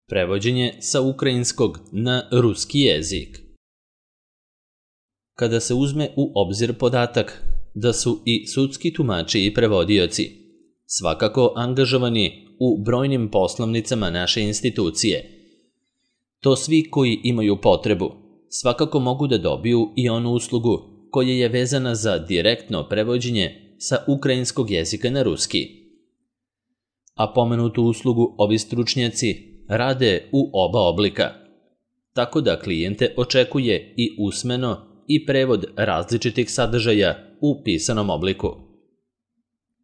Prevođenje sa ukrajinskog na ruski jezik. Kada se uzme u obzir podatak da su i sudski tumači i prevodioci svakako angažovani u brojnim poslovnicama naše institucije, to svi koji imaju potrebu svakako mogu da dobiju i onu uslugu koja je vezana za direktno prevođenje sa ukrajinskog jezika na ruski. A pomenutu uslugu ovi stručnjaci rade u oba oblika, tako da klijente očekuje i usmeno i prevod različitih sadržaja u pisanom obliku.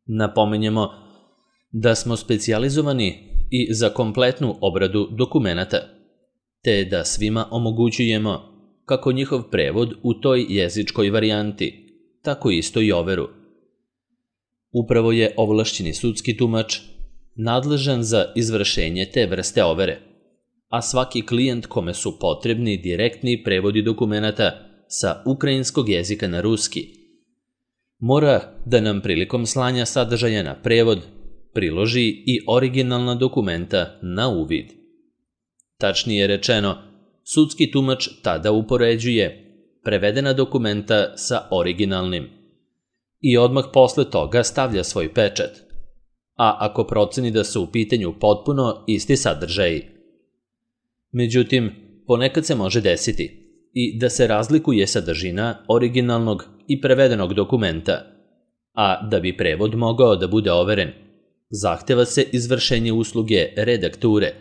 Napomenjemo da smo specijalizovani i za kompletnu obradu dokumenata, te da svima omogućujemo kako njihov prevod u toj jezičkoj varijanti, tako isto i overu. Upravo je ovlašćeni sudski tumač nadležan za izvršenje te vrste overe, a svaki klijent kome su potrebni direktni prevodi dokumenata sa ukrajinskog jezika na ruski mora da nam prilikom slanja sadržaja na prevod priloži i originalna dokumenta na uvid. Tačnije rečeno, sudski tumač tada upoređuje prevedena dokumenta sa originalnim i odmah posle toga stavlja svoj pečat, a ako proceni da su u pitanju potpuno isti sadržaji. Međutim, ponekad se može desiti i da se razlikuje sadržina originalnog i prevedenog dokumenta, a da bi prevod mogao da bude overen, zahteva se izvršenje usluge redakture,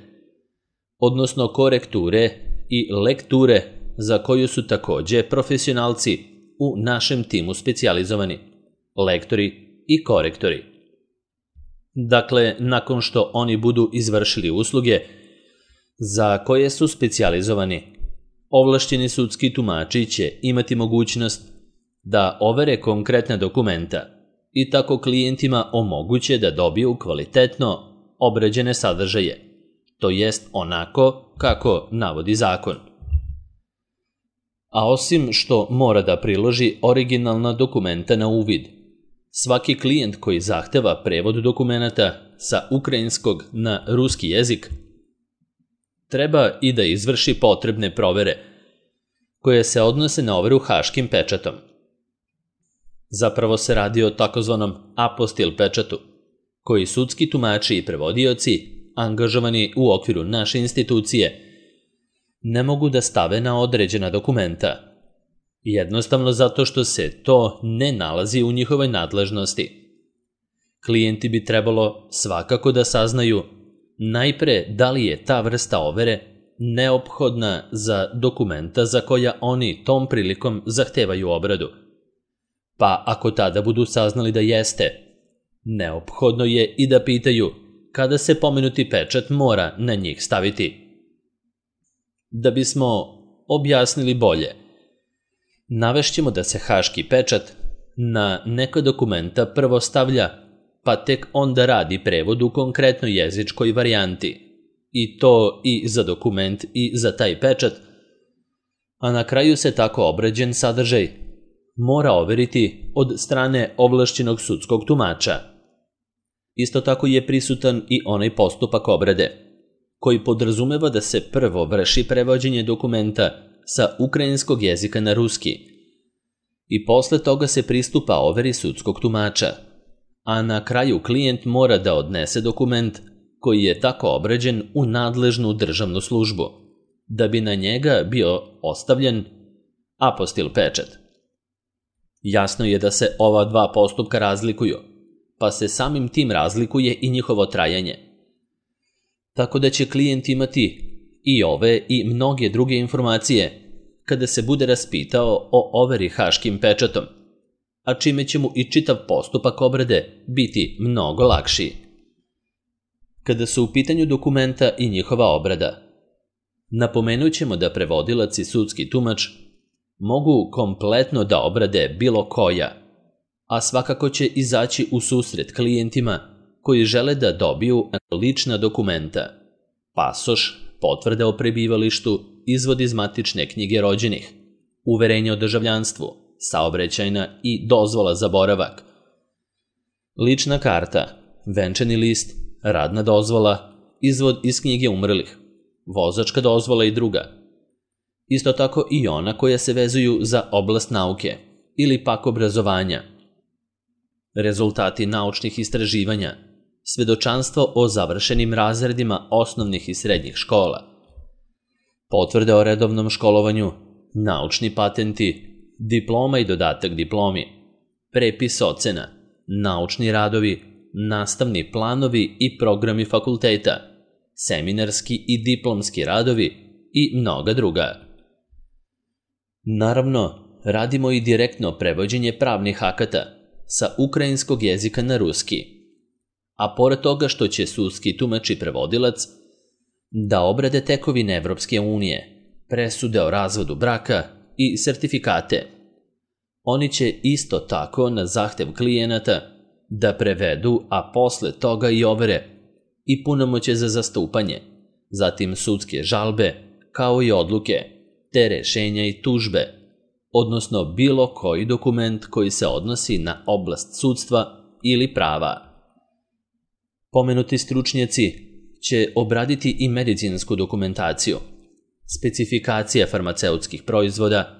odnosno korekture i lekture za koju su takođe profesionalci u našem timu specijalizovani, lektori i korektori. Dakle, nakon što oni budu izvršili usluge za koje su specijalizovani, ovlašćeni sudski tumači će imati mogućnost da overe konkretna dokumenta i tako klijentima omoguće da dobiju kvalitetno obrađene sadržaje, to jest onako kako navodi zakon. A osim što mora da priloži originalna dokumenta na uvid, svaki klijent koji zahteva prevod dokumenata sa ukrajinskog na ruski jezik treba i da izvrši potrebne provere koje se odnose na overu haškim pečatom. Zapravo se radi o takozvanom apostil pečatu, koji sudski tumači i prevodioci, angažovani u okviru naše institucije, ne mogu da stave na određena dokumenta, jednostavno zato što se to ne nalazi u njihovoj nadležnosti. Klijenti bi trebalo svakako da saznaju najpre da li je ta vrsta overe neophodna za dokumenta za koja oni tom prilikom zahtevaju obradu. Pa ako tada budu saznali da jeste, neophodno je i da pitaju kada se pomenuti pečat mora na njih staviti. Da bismo objasnili bolje, navešćemo da se haški pečat na neka dokumenta prvo stavlja, pa tek onda radi prevod u konkretnoj jezičkoj varijanti, i to i za dokument i za taj pečat, a na kraju se tako obrađen sadržaj mora overiti od strane ovlašćenog sudskog tumača. Isto tako je prisutan i onaj postupak obrade, koji podrazumeva da se prvo vrši prevođenje dokumenta sa ukrajinskog jezika na ruski i posle toga se pristupa overi sudskog tumača, a na kraju klijent mora da odnese dokument koji je tako obrađen u nadležnu državnu službu, da bi na njega bio ostavljen apostil pečat. Jasno je da se ova dva postupka razlikuju, pa se samim tim razlikuje i njihovo trajanje. Tako da će klijent imati i ove i mnoge druge informacije kada se bude raspitao o overi haškim pečatom, a čime će mu i čitav postupak obrade biti mnogo lakši. Kada su u pitanju dokumenta i njihova obrada, napomenut ćemo da prevodilac i sudski tumač mogu kompletno da obrade bilo koja, a svakako će izaći u susret klijentima koji žele da dobiju lična dokumenta, pasoš, potvrde o prebivalištu, izvod iz matične knjige rođenih, uverenje o državljanstvu, saobraćajna i dozvola za boravak, lična karta, venčani list, radna dozvola, izvod iz knjige umrlih, vozačka dozvola i druga. Isto tako i ona koja se vezuju za oblast nauke ili pak obrazovanja. Rezultati naučnih istraživanja, svedočanstvo o završenim razredima osnovnih i srednjih škola, potvrde o redovnom školovanju, naučni patenti, diploma i dodatak diplomi, prepis ocena, naučni radovi, nastavni planovi i programi fakulteta, seminarski i diplomski radovi i mnoga druga. Naravno, radimo i direktno prevođenje pravnih akata sa ukrajinskog jezika na ruski, a pored toga što će sudski tumač i prevodilac da obrade tekovine Evropske unije, presude o razvodu braka i sertifikate, oni će isto tako na zahtev klijenata da prevedu, a posle toga i overe i punomoćje za zastupanje, zatim sudske žalbe, kao i odluke, te rešenja i tužbe, odnosno bilo koji dokument koji se odnosi na oblast sudstva ili prava. Pomenuti stručnjaci će obraditi i medicinsku dokumentaciju, specifikacije farmaceutskih proizvoda,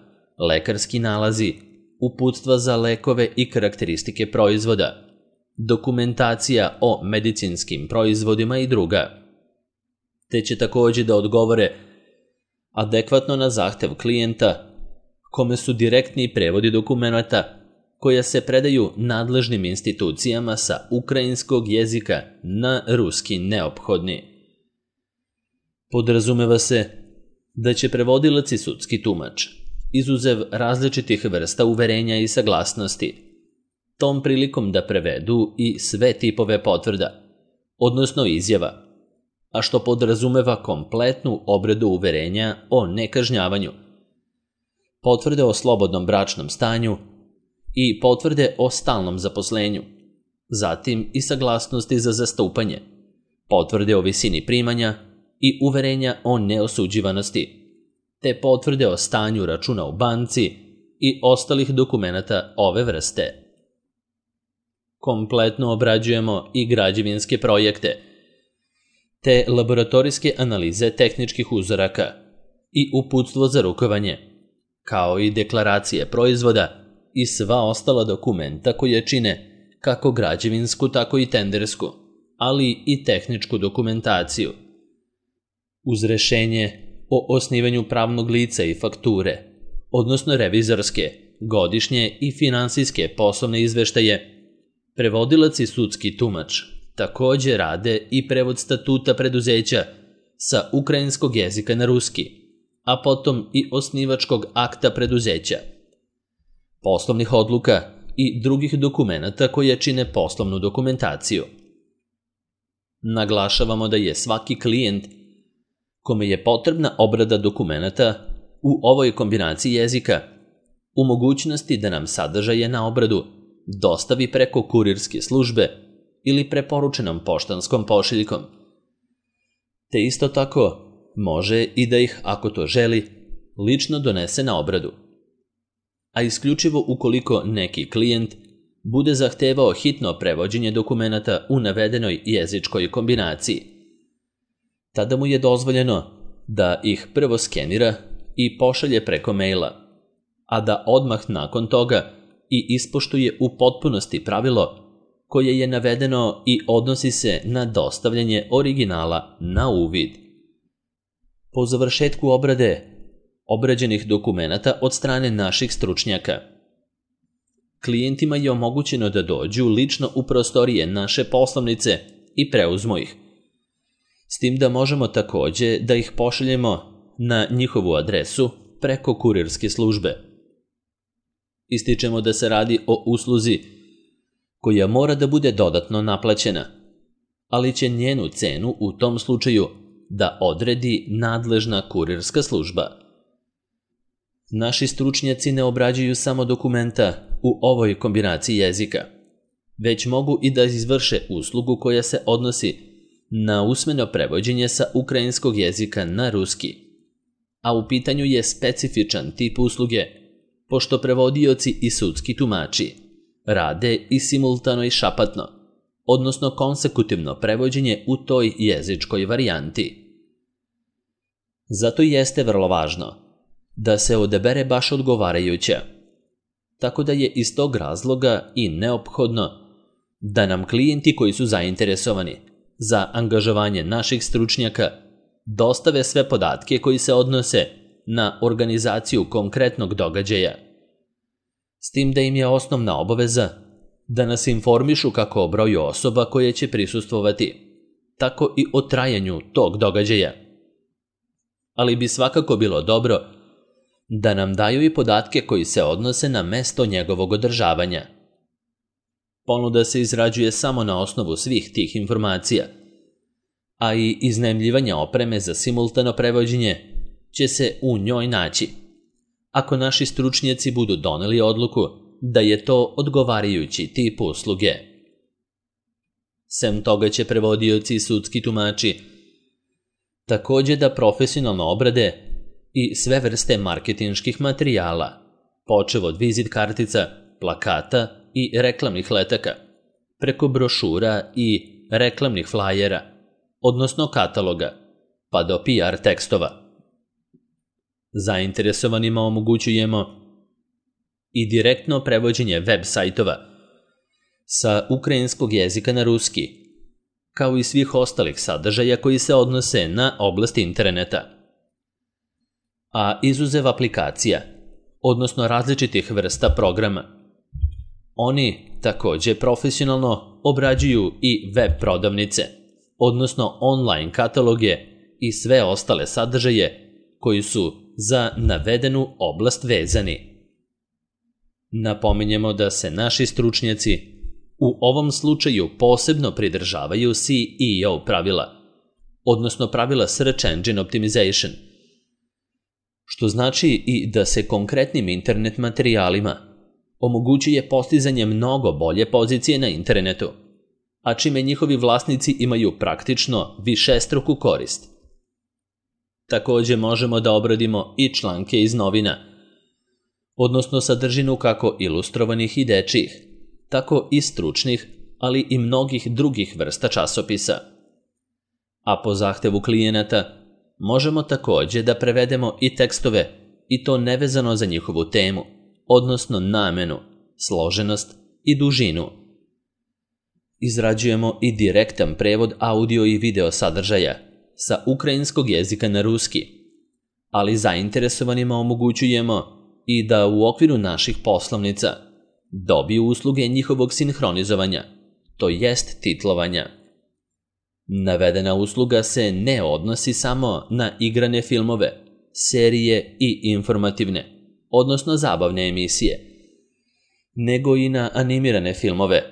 lekarski nalazi, uputstva za lekove i karakteristike proizvoda, dokumentacija o medicinskim proizvodima i druga. Te će također da odgovore adekvatno na zahtev klijenta, kome su direktni prevodi dokumenata koja se predaju nadležnim institucijama sa ukrajinskog jezika na ruski neophodni. Podrazumeva se da će prevodilac i sudski tumač, izuzev različitih vrsta uverenja i saglasnosti, tom prilikom da prevedu i sve tipove potvrda, odnosno izjava, a što podrazumeva kompletnu obradu uverenja o nekažnjavanju, potvrde o slobodnom bračnom stanju i potvrde o stalnom zaposlenju, zatim i saglasnosti za zastupanje, potvrde o visini primanja i uverenja o neosuđivanosti, te potvrde o stanju računa u banci i ostalih dokumenata ove vrste. Kompletno obrađujemo i građevinske projekte, te laboratorijske analize tehničkih uzoraka i uputstvo za rukovanje, kao i deklaracije proizvoda i sva ostala dokumenta koje čine kako građevinsku, tako i tendersku, ali i tehničku dokumentaciju. Uz rešenje o osnivanju pravnog lica i fakture, odnosno revizorske, godišnje i finansijske poslovne izveštaje, prevodilac i sudski tumač također rade i prevod statuta preduzeća sa ukrajinskog jezika na ruski, a potom i osnivačkog akta preduzeća, poslovnih odluka i drugih dokumenata koje čine poslovnu dokumentaciju. Naglašavamo da je svaki klijent kome je potrebna obrada dokumenata u ovoj kombinaciji jezika u mogućnosti da nam sadržaje na obradu dostavi preko kurirske službe ili preporučenom poštanskom pošiljkom. Te isto tako može i da ih, ako to želi, lično donese na obradu. A isključivo ukoliko neki klijent bude zahtevao hitno prevođenje dokumenata u navedenoj jezičkoj kombinaciji. Tada mu je dozvoljeno da ih prvo skenira i pošalje preko maila, a da odmah nakon toga i ispoštuje u potpunosti pravilo koje je navedeno i odnosi se na dostavljanje originala na uvid. Po završetku obrade obrađenih dokumenata od strane naših stručnjaka, klijentima je omogućeno da dođu lično u prostorije naše poslovnice i preuzmu ih, s tim da možemo također da ih pošaljemo na njihovu adresu preko kurirske službe. Ističemo da se radi o usluzi koja mora da bude dodatno naplaćena, ali će njenu cenu u tom slučaju da odredi nadležna kurirska služba. Naši stručnjaci ne obrađuju samo dokumenta u ovoj kombinaciji jezika, već mogu i da izvrše uslugu koja se odnosi na usmeno prevođenje sa ukrajinskog jezika na ruski, a u pitanju je specifičan tip usluge, pošto prevodioci i sudski tumači rade i simultano i šapatno, odnosno konsekutivno prevođenje u toj jezičkoj varijanti. Zato jeste vrlo važno da se odabere baš odgovarajuća, tako da je iz tog razloga i neophodno da nam klijenti koji su zainteresovani za angažovanje naših stručnjaka dostave sve podatke koji se odnose na organizaciju konkretnog događaja, s tim da im je osnovna obaveza da nas informišu kako o broju osoba koje će prisustvovati, tako i o trajanju tog događaja. Ali bi svakako bilo dobro da nam daju i podatke koji se odnose na mesto njegovog održavanja. Ponuda se izrađuje samo na osnovu svih tih informacija, a i iznajmljivanje opreme za simultano prevođenje će se u njoj naći, ako naši stručnjaci budu doneli odluku da je to odgovarajući tip usluge. Sem toga će prevodioci i sudski tumači također da profesionalno obrade i sve vrste marketinških materijala, počev od vizit kartica, plakata i reklamnih letaka, preko brošura i reklamnih flajera, odnosno kataloga, pa do PR tekstova. Zainteresovanima omogućujemo i direktno prevođenje web sajtova sa ukrajinskog jezika na ruski, kao i svih ostalih sadržaja koji se odnose na oblast interneta. A izuzev aplikacija, odnosno različitih vrsta programa, oni također profesionalno obrađuju i web prodavnice, odnosno online kataloge i sve ostale sadržaje koji su za navedenu oblast vezani. Napominjemo da se naši stručnjaci u ovom slučaju posebno pridržavaju SEO pravila, odnosno pravila Search Engine Optimization, što znači i da se konkretnim internet materijalima omogućuje postizanje mnogo bolje pozicije na internetu, a čime njihovi vlasnici imaju praktično višestruku korist. Također možemo da obradimo i članke iz novina, odnosno sadržinu kako ilustrovanih i dečjih, tako i stručnih, ali i mnogih drugih vrsta časopisa. A po zahtevu klijenata možemo također da prevedemo i tekstove, i to nevezano za njihovu temu, odnosno namenu, složenost i dužinu. Izrađujemo i direktan prevod audio i video sadržaja sa ukrajinskog jezika na ruski, ali zainteresovanima omogućujemo i da u okviru naših poslovnica dobiju usluge njihovog sinhronizovanja, to jest titlovanja. Navedena usluga se ne odnosi samo na igrane filmove, serije i informativne, odnosno zabavne emisije, nego i na animirane filmove,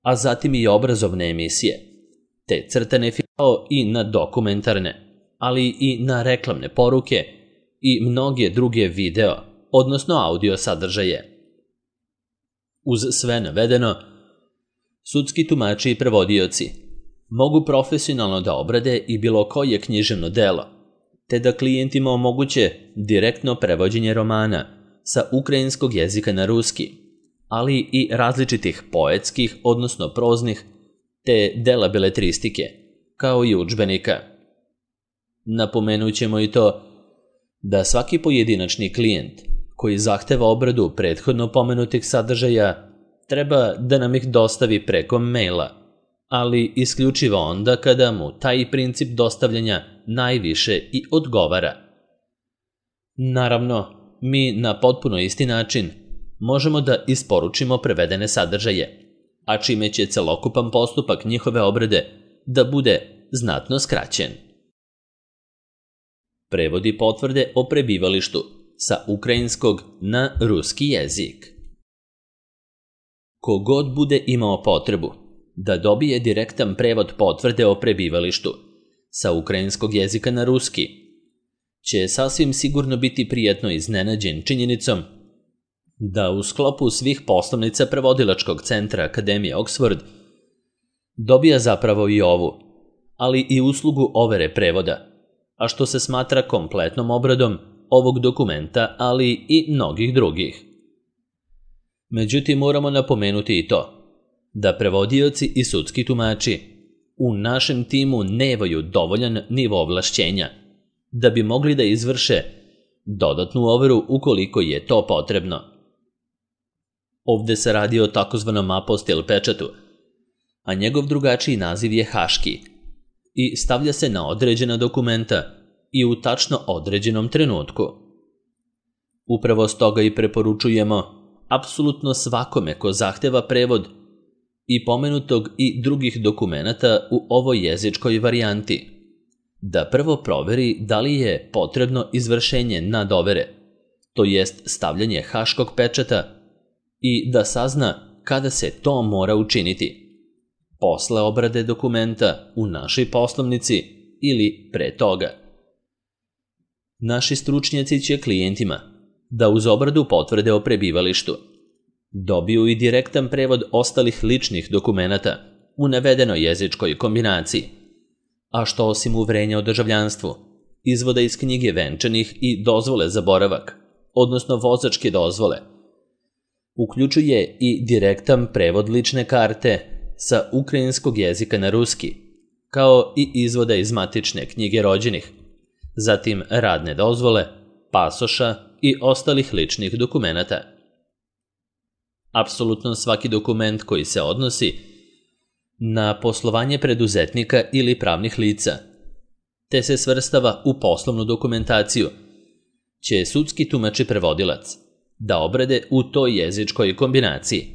a zatim i obrazovne emisije, te crtane filmove i na dokumentarne, ali i na reklamne poruke i mnoge druge video, odnosno audio sadržaje. Uz sve navedeno, sudski tumači i prevodioci mogu profesionalno da obrade i bilo koje književno delo, te da klijentima omoguće direktno prevođenje romana sa ukrajinskog jezika na ruski, ali i različitih poetskih, odnosno proznih, te dela beletristike, kao i udžbenika. Napomenut ćemo i to da svaki pojedinačni klijent koji zahteva obradu prethodno pomenutih sadržaja treba da nam ih dostavi preko maila, ali isključivo onda kada mu taj princip dostavljanja najviše i odgovara. Naravno, mi na potpuno isti način možemo da isporučimo prevedene sadržaje, a čime će celokupan postupak njihove obrade da bude znatno skraćen. Prevodi potvrde o prebivalištu sa ukrajinskog na ruski jezik. Kogod bude imao potrebu da dobije direktan prevod potvrde o prebivalištu sa ukrajinskog jezika na ruski, će sasvim sigurno biti prijatno iznenađen činjenicom da u sklopu svih poslovnica prevodilačkog centra Akademije Oxford dobija zapravo i ovu, ali i uslugu overe prevoda, a što se smatra kompletnom obradom ovog dokumenta, ali i mnogih drugih. Međutim, moramo napomenuti i to da prevodioci i sudski tumači u našem timu nemaju dovoljan nivo ovlašćenja da bi mogli da izvrše dodatnu overu ukoliko je to potrebno. Ovde se radi o takozvanom apostil pečatu, a njegov drugačiji naziv je haški i stavlja se na određena dokumenta i u tačno određenom trenutku. Upravo stoga i preporučujemo apsolutno svakome ko zahteva prevod i pomenutog i drugih dokumenata u ovoj jezičkoj varijanti, da prvo proveri da li je potrebno izvršenje nadovere, to jest stavljanje haškog pečata, i da sazna kada se to mora učiniti, posle obrade dokumenta u našoj poslovnici ili pre toga. Naši stručnjaci će klijentima da uz obradu potvrde o prebivalištu dobiju i direktan prevod ostalih ličnih dokumenata u navedenoj jezičkoj kombinaciji, a što osim uverenja o državljanstvu, izvoda iz knjige venčanih i dozvole za boravak, odnosno vozačke dozvole, uključuje i direktan prevod lične karte sa ukrajinskog jezika na ruski, kao i izvoda iz matične knjige rođenih, zatim radne dozvole, pasoša i ostalih ličnih dokumenata. Apsolutno svaki dokument koji se odnosi na poslovanje preduzetnika ili pravnih lica, te se svrstava u poslovnu dokumentaciju, će sudski tumač i prevodilac da obrade u toj jezičkoj kombinaciji.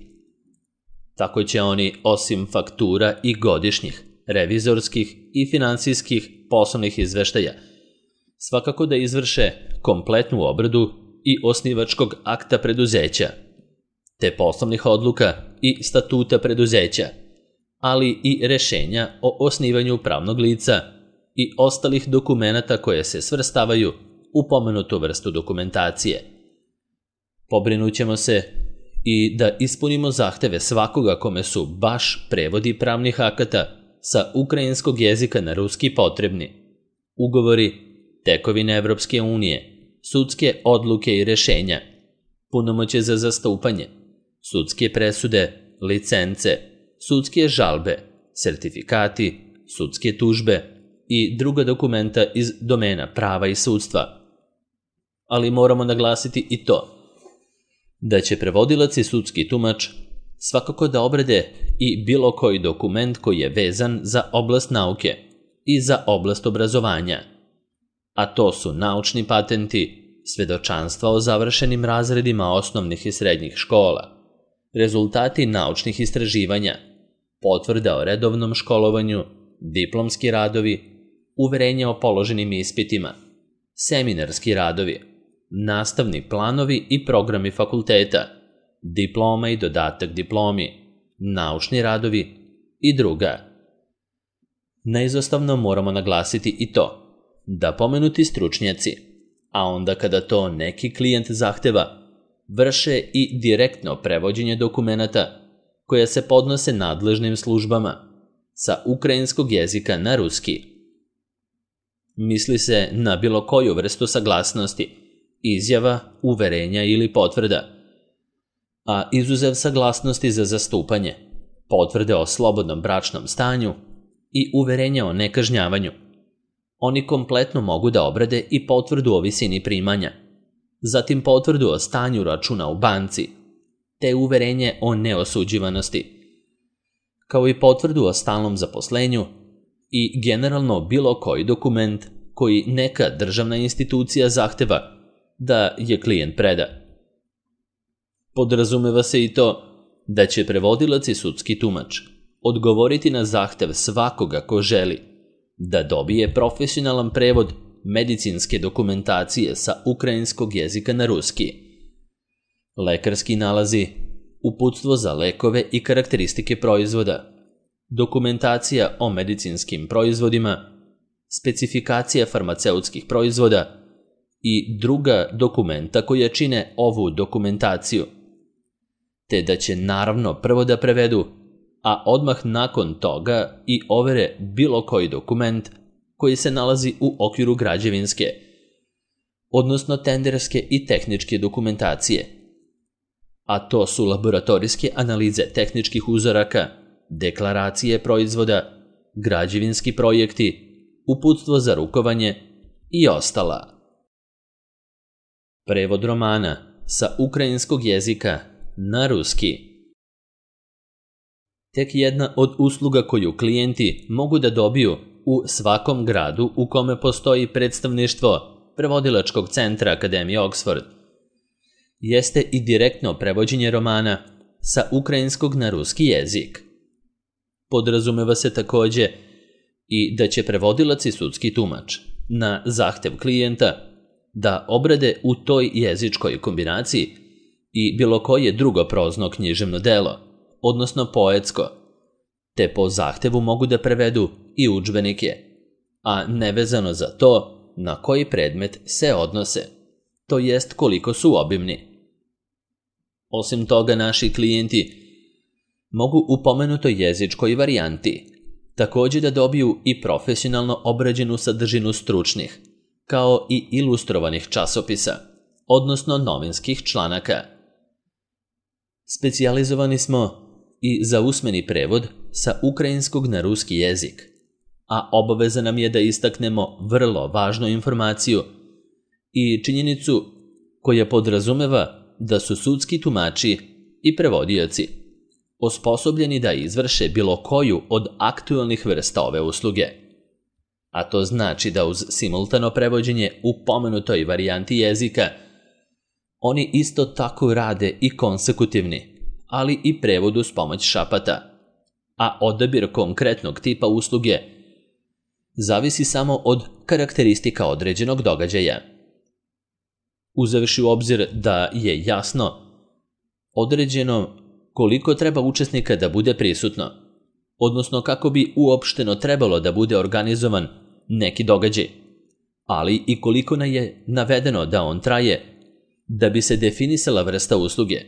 Tako će oni, osim faktura i godišnjih, revizorskih i finansijskih poslovnih izveštaja, svakako da izvrše kompletnu obradu i osnivačkog akta preduzeća, te poslovnih odluka i statuta preduzeća, ali i rešenja o osnivanju pravnog lica i ostalih dokumenata koje se svrstavaju u pomenutu vrstu dokumentacije. Pobrinućemo se i da ispunimo zahteve svakoga kome su baš prevodi pravnih akata sa ukrajinskog jezika na ruski potrebni, ugovori, tekovine Evropske unije, sudske odluke i rešenja, punomoćje za zastupanje, sudske presude, licence, sudske žalbe, sertifikati, sudske tužbe i druga dokumenta iz domena prava i sudstva. Ali moramo naglasiti i to da će prevodilac i sudski tumač svakako da obrade i bilo koji dokument koji je vezan za oblast nauke i za oblast obrazovanja, a to su naučni patenti, svedočanstva o završenim razredima osnovnih i srednjih škola, rezultati naučnih istraživanja, potvrda o redovnom školovanju, diplomski radovi, uverenja o položenim ispitima, seminarski radovi, nastavni planovi i programi fakulteta, diploma i dodatak diplomi, naučni radovi i druga. Neizostavno moramo naglasiti i to da pomenuti stručnjaci, a onda kada to neki klijent zahteva, vrše i direktno prevođenje dokumenata koja se podnose nadležnim službama sa ukrajinskog jezika na ruski. Misli se na bilo koju vrstu saglasnosti, izjava, uverenja ili potvrda, a izuzev saglasnosti za zastupanje, potvrde o slobodnom bračnom stanju i uverenja o nekažnjavanju, oni kompletno mogu da obrade i potvrdu o visini primanja, zatim potvrdu o stanju računa u banci, te uverenje o neosuđivanosti, kao i potvrdu o stalnom zaposlenju i generalno bilo koji dokument koji neka državna institucija zahteva da je klijent preda. Podrazumeva se i to da će prevodilac i sudski tumač odgovoriti na zahtev svakoga ko želi da dobije profesionalan prevod medicinske dokumentacije sa ukrajinskog jezika na ruski, lekarski nalazi, uputstvo za lekove i karakteristike proizvoda, dokumentacija o medicinskim proizvodima, specifikacija farmaceutskih proizvoda i druga dokumenta koja čine ovu dokumentaciju, te da će naravno prvo da prevedu, a odmah nakon toga i overe bilo koji dokument koji se nalazi u okviru građevinske, odnosno tenderske i tehničke dokumentacije, a to su laboratorijske analize tehničkih uzoraka, deklaracije proizvoda, građevinski projekti, uputstvo za rukovanje i ostala. Prevod romana sa ukrajinskog jezika na ruski. Tek jedna od usluga koju klijenti mogu da dobiju u svakom gradu u kome postoji predstavništvo prevodilačkog centra Akademije Oxford jeste i direktno prevođenje romana sa ukrajinskog na ruski jezik. Podrazumeva se takođe i da će prevodilac i sudski tumač na zahtev klijenta da obrade u toj jezičkoj kombinaciji i bilo koje drugo prozno književno delo, odnosno poetsko, te po zahtevu mogu da prevedu i udžbenike, a nevezano za to na koji predmet se odnose, to jest koliko su obimni. Osim toga, naši klijenti mogu u pomenutoj jezičkoj varijanti takođe da dobiju i profesionalno obrađenu sadržinu stručnih, kao i ilustrovanih časopisa, odnosno novinskih članaka. Specijalizovani smo i za usmeni prevod sa ukrajinskog na ruski jezik, a obaveza nam je da istaknemo vrlo važnu informaciju i činjenicu koja podrazumeva da su sudski tumači i prevodioci osposobljeni da izvrše bilo koju od aktualnih vrsta ove usluge. A to znači da uz simultano prevođenje u pomenutoj varijanti jezika oni isto tako rade i konsekutivni, ali i prevod uz pomoć šapata, a odabir konkretnog tipa usluge zavisi samo od karakteristika određenog događaja. Uzevši u obzir da je jasno određeno koliko treba učesnika da bude prisutno, odnosno kako bi uopšteno trebalo da bude organizovan neki događaj, ali i koliko je navedeno da on traje, da bi se definisala vrsta usluge.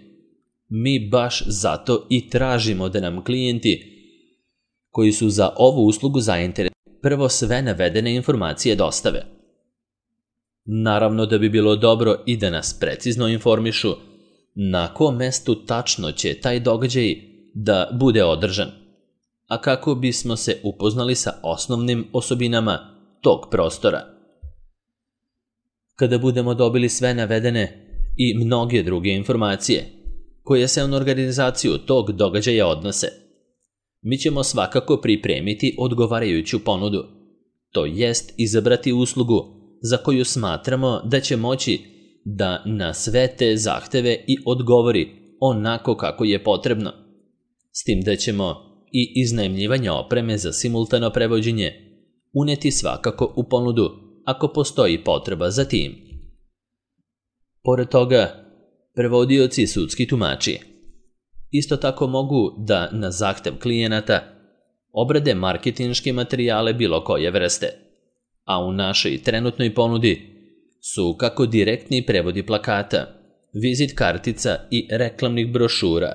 Mi baš zato i tražimo da nam klijenti koji su za ovu uslugu zainteresovani prvo sve navedene informacije dostave. Naravno da bi bilo dobro i da nas precizno informišu na kom mestu tačno će taj događaj da bude održan, a kako bismo se upoznali sa osnovnim osobinama tog prostora. Kada budemo dobili sve navedene i mnoge druge informacije koje se na organizaciju tog događaja odnose, mi ćemo svakako pripremiti odgovarajuću ponudu, to jest izabrati uslugu za koju smatramo da će moći da na sve te zahteve i odgovori onako kako je potrebno, s tim da ćemo i iznajmljivanje opreme za simultano prevođenje uneti svakako u ponudu ako postoji potreba za tim. Pored toga, prevodioci i sudski tumači isto tako mogu da na zahtev klijenata obrade marketinške materijale bilo koje vrste, a u našoj trenutnoj ponudi su kako direktni prevodi plakata, vizit kartica i reklamnih brošura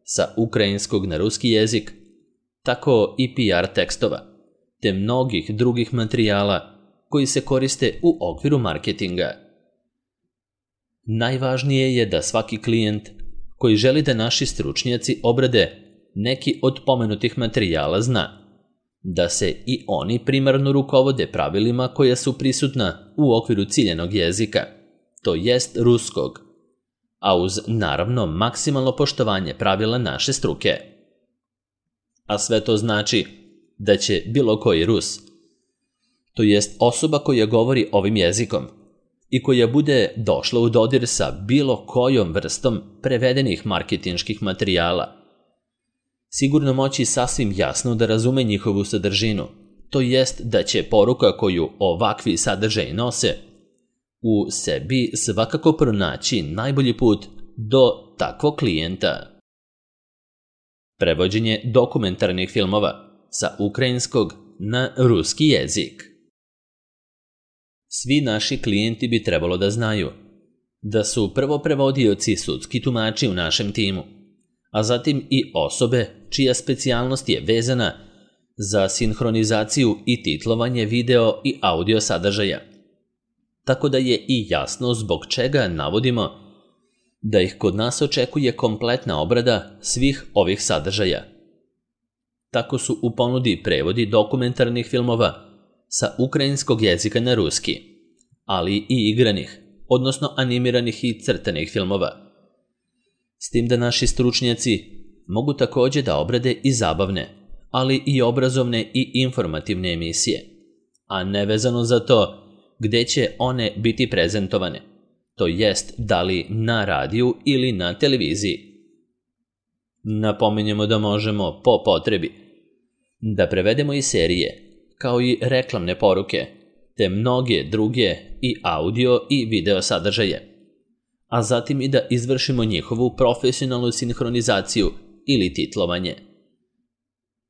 sa ukrajinskog na ruski jezik, tako i PR tekstova, te mnogih drugih materijala koji se koriste u okviru marketinga. Najvažnije je da svaki klijent koji želi da naši stručnjaci obrade neki od pomenutih materijala zna da se i oni primarno rukovode pravilima koja su prisutna u okviru ciljenog jezika, to jest ruskog, a uz naravno maksimalno poštovanje pravila naše struke. A sve to znači da će bilo koji Rus, to jest osoba koja govori ovim jezikom i koja bude došla u dodir sa bilo kojom vrstom prevedenih marketinških materijala, sigurno moći sasvim jasno da razume njihovu sadržinu, to jest da će poruka koju ovakvi sadržaji nose u sebi svakako pronaći najbolji put do takvog klijenta. Prevođenje dokumentarnih filmova sa ukrajinskog na ruski jezik. Svi naši klijenti bi trebalo da znaju da su prvo prevodioci i sudski tumači u našem timu, a zatim i osobe čija specijalnost je vezana za sinhronizaciju i titlovanje video i audio sadržaja. Tako da je i jasno zbog čega navodimo da ih kod nas očekuje kompletna obrada svih ovih sadržaja. Tako su u ponudi prevodi dokumentarnih filmova sa ukrajinskog jezika na ruski, ali i igranih, odnosno animiranih i crtanih filmova. S tim da naši stručnjaci mogu također da obrade i zabavne, ali i obrazovne i informativne emisije, a nevezano za to gdje će one biti prezentovane, to jest da li na radiju ili na televiziji. Napominjemo da možemo, po potrebi, da prevedemo i serije, kao i reklamne poruke, te mnoge druge i audio i video sadržaje, a zatim i da izvršimo njihovu profesionalnu sinhronizaciju ili titlovanje.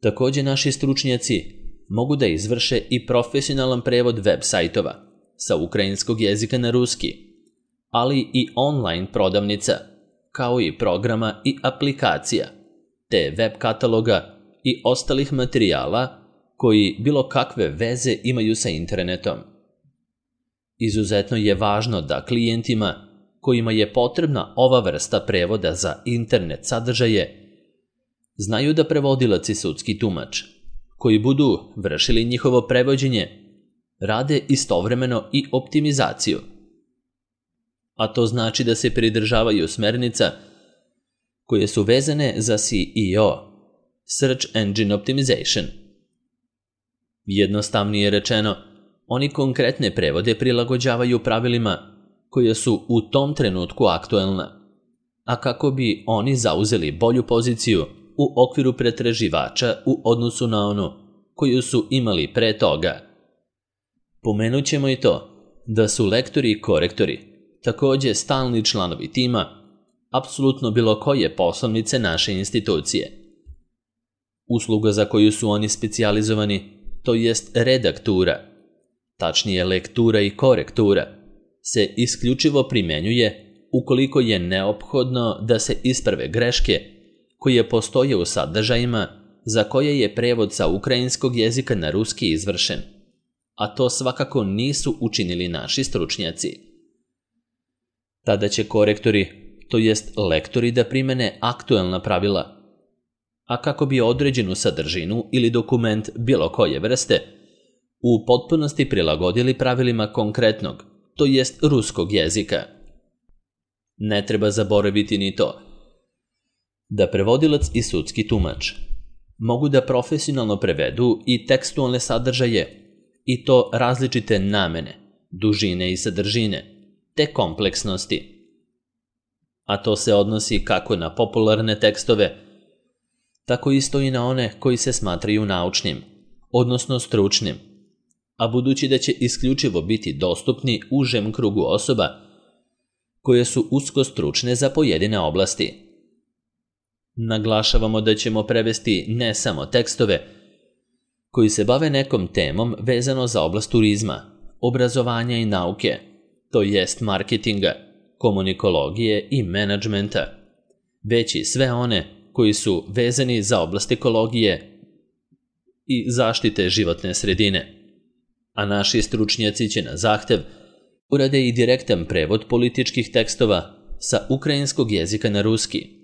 Također naši stručnjaci mogu da izvrše i profesionalan prevod web sajtova sa ukrajinskog jezika na ruski, ali i online prodavnica, kao i programa i aplikacija, te web kataloga i ostalih materijala koji bilo kakve veze imaju sa internetom. Izuzetno je važno da klijentima kojima je potrebna ova vrsta prevoda za internet sadržaje znaju da prevodilac i sudski tumač, koji budu vršili njihovo prevođenje, rade istovremeno i optimizaciju. A to znači da se pridržavaju smernica koje su vezane za SEO, Search Engine Optimization. Jednostavnije rečeno, oni konkretne prevode prilagođavaju pravilima koja su u tom trenutku aktuelna, a kako bi oni zauzeli bolju poziciju u okviru pretraživača u odnosu na onu koju su imali pre toga. Pomenut ćemo i to da su lektori i korektori također stalni članovi tima apsolutno bilo koje poslovnice naše institucije. Usluga za koju su oni specijalizovani, to jest redaktura, tačnije lektura i korektura, se isključivo primjenjuje ukoliko je neophodno da se isprave greške koje postoje u sadržajima za koje je prevod sa ukrajinskog jezika na ruski izvršen, a to svakako nisu učinili naši stručnjaci. Tada će korektori, to jest lektori, da primene aktuelna pravila, a kako bi određenu sadržinu ili dokument bilo koje vrste u potpunosti prilagodili pravilima konkretnog, to jest ruskog jezika. Ne treba zaboraviti ni to da prevodilac i sudski tumač mogu da profesionalno prevedu i tekstualne sadržaje, i to različite namene, dužine i sadržine, te kompleksnosti. A to se odnosi kako na popularne tekstove, tako isto i na one koji se smatraju naučnim, odnosno stručnim, a budući da će isključivo biti dostupni užem krugu osoba koje su usko stručne za pojedine oblasti. Naglašavamo da ćemo prevesti ne samo tekstove koji se bave nekom temom vezano za oblast turizma, obrazovanja i nauke, to jest marketinga, komunikologije i menadžmenta, već i sve one koji su vezani za oblast ekologije i zaštite životne sredine. A naši stručnjaci će na zahtev urade i direktan prevod političkih tekstova sa ukrajinskog jezika na ruski,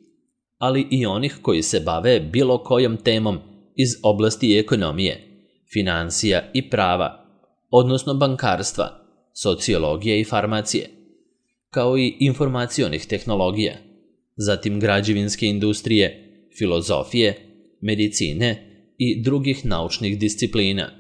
ali i onih koji se bave bilo kojom temom iz oblasti ekonomije, financija i prava, odnosno bankarstva, sociologije i farmacije, kao i informacionih tehnologija, zatim građevinske industrije, filozofije, medicine i drugih naučnih disciplina.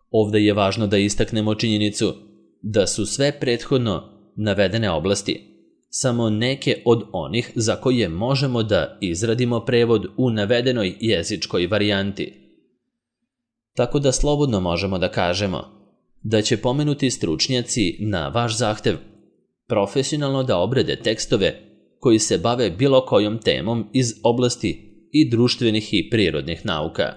Ovdje je važno da istaknemo činjenicu da su sve prethodno navedene oblasti samo neke od onih za koje možemo da izradimo prevod u navedenoj jezičkoj varijanti. Tako da slobodno možemo da kažemo da će pomenuti stručnjaci na vaš zahtev profesionalno da obrade tekstove koji se bave bilo kojom temom iz oblasti i društvenih i prirodnih nauka.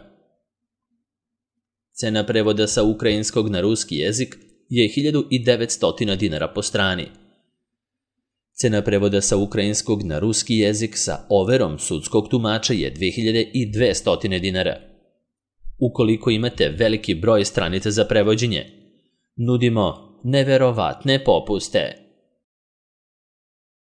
Cena prevoda sa ukrajinskog na ruski jezik je 1900 dinara po strani. Cena prevoda sa ukrajinskog na ruski jezik sa overom sudskog tumača je 2200 dinara. Ukoliko imate veliki broj stranica za prevođenje, nudimo neverovatne popuste.